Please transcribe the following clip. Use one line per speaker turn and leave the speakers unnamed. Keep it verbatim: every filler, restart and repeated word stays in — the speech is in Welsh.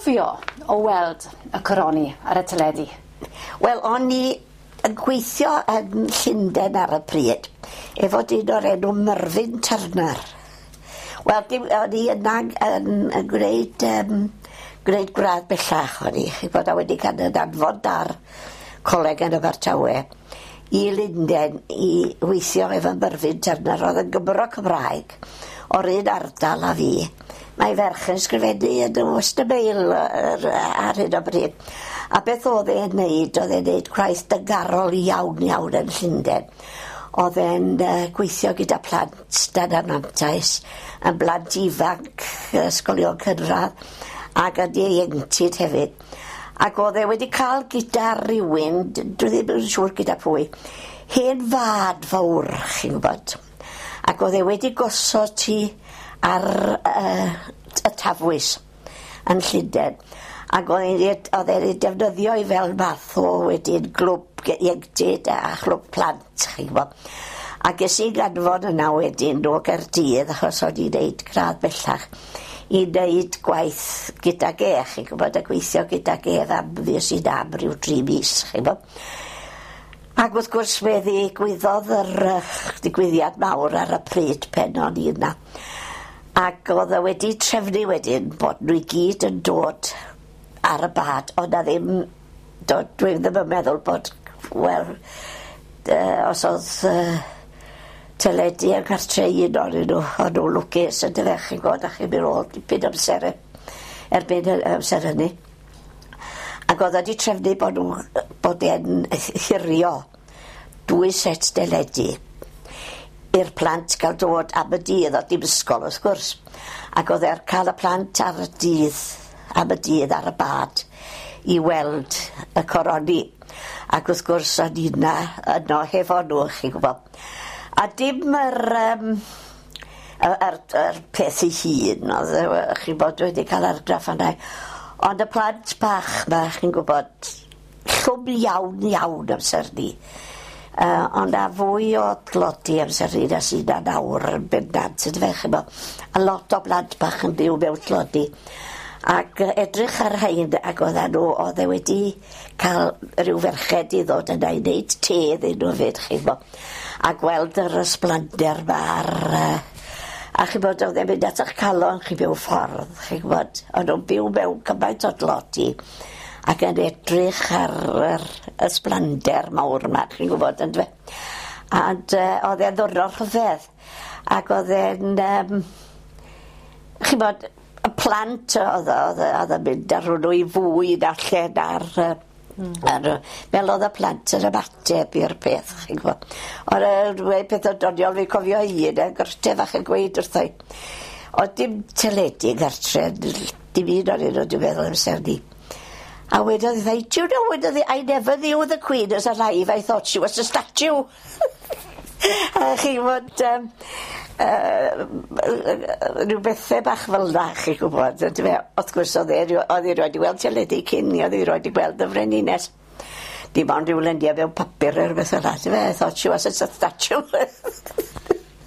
cofio o weld y coroni ar y teledu?
Wel, o'n i yn gweithio yn Llundain ar y pryd, efo dyn o'r enw Mervyn Turner. Wel, dim, o'n i yna yn, yn gwneud, um, gwneud gradd bellach o'n i, chi bod a wedi cael yn anfon ar coleg yn Abertawe i Lundain i weithio efo Mervyn Turner, oedd yn Gymro Cymraeg o'r un ardal a fi. Mae ferch yn sgrifennu yn y Western Mail ar hyn o bryd. A beth oedd e'n neud, oedd e'n neud gwaith dyngarol iawn iawn yn Llundain. Oedd e'n uh, gweithio gyda plant dan anfantais, yn blant ifanc, ysgolion cynradd, ac yn ieuenctid hefyd. Ac oedd e wedi cael gyda rhywun, dwi ddim yn siŵr gyda pwy, hen fad fawr, chi'n gwybod. Ac oedd e wedi gosod ti ar uh, y Tafwys yn Llundain. Ac oedd e'n ei defnyddio i fel math o wedyn glwb ieuenctid a chlwb plant, chi'n gwybod. A ges i ganfod yna wedyn o Gaerdydd, achos o'n i'n neud gradd bellach, i wneud gwaith gydag e, chi'n gwybod, a gweithio gydag e am fues i am ryw dri mis, chi'n gwybod. Ac wrth gwrs fe ddigwyddodd yr uh, digwyddiad mawr ar y pryd pen o'n i yna. Ac oedd e wedi trefnu wedyn bod nhw i gyd yn dod ar y bad, ond na ddim, do, dwi ddim yn meddwl bod, wel, uh, os oedd uh, teledu yn cartre un ohonyn nhw, o'n nhw lwcus yn dyfe, chi'n gwybod, a chi'n mynd ôl dipyn amser erbyn amser hynny. Ac oedd wedi trefnu bod nhw, bod e'n hurio dwy set deledu i'r plant gael dod am y dydd, o dim ysgol wrth gwrs. Ac oedd e'n cael y plant ar y dydd, am y dydd ar y bad i weld y coroni. Ac wrth gwrs o'n i yna yno hefo nhw, chi'n gwybod. A dim yr, um, yr, yr, yr peth ei hun, oedd chi'n bod wedi cael argraff arna. Ond y plant bach ma, chi'n gwybod, llwm iawn iawn amser ni. Uh, ond a fwy o dlodi amser ni na sydd na nawr yn bendant, yn fe, chi'n bod. A lot o blant bach yn byw mewn tlodi. Ac edrych ar rhain, ac oedden nhw, oedd e wedi cael rhyw ferched i ddod yna i wneud te iddyn nhw fyd, chi'n bod. A gweld yr ysblander ma ar... Uh, a chi'n bod, oedd e'n mynd at eich calon chi mewn ffordd, chi'n gwybod. O'n nhw'n byw mewn cymaint o dlodi ac yn edrych ar yr ysblander mawr yma, chi'n gwybod, yn dwe. And uh, oedd e'n ddwrnod rhyfedd. Ac oedd e'n... Um, chi'n bod, y plant oedd oedd oedd yn mynd ar nhw i fwyd allan ar... Mm. Ar, fel oedd y plant yn ymateb i'r peth, chi'n gwybod. Ond y peth o doniol, fi'n cofio un, yn gyrte fach yn gweud wrtho i. Oedd dim teledu gartre, dim un o'n nhw, dwi'n meddwl amser ni. A wedodd hi, do you know, wedodd hi, I never knew the Queen was alive, I thought she was a statue. A chi'n gwybod, um, uh, rhyw bethau bach fel na, chi'n gwybod. Wrth gwrs, oedd e, oedd hi roed i weld teledu cyn ni, oedd hi roed i gweld y frenhines. Dim ond rhyw luniau mewn papur neu rhywbeth fel 'na, I thought she was a statue.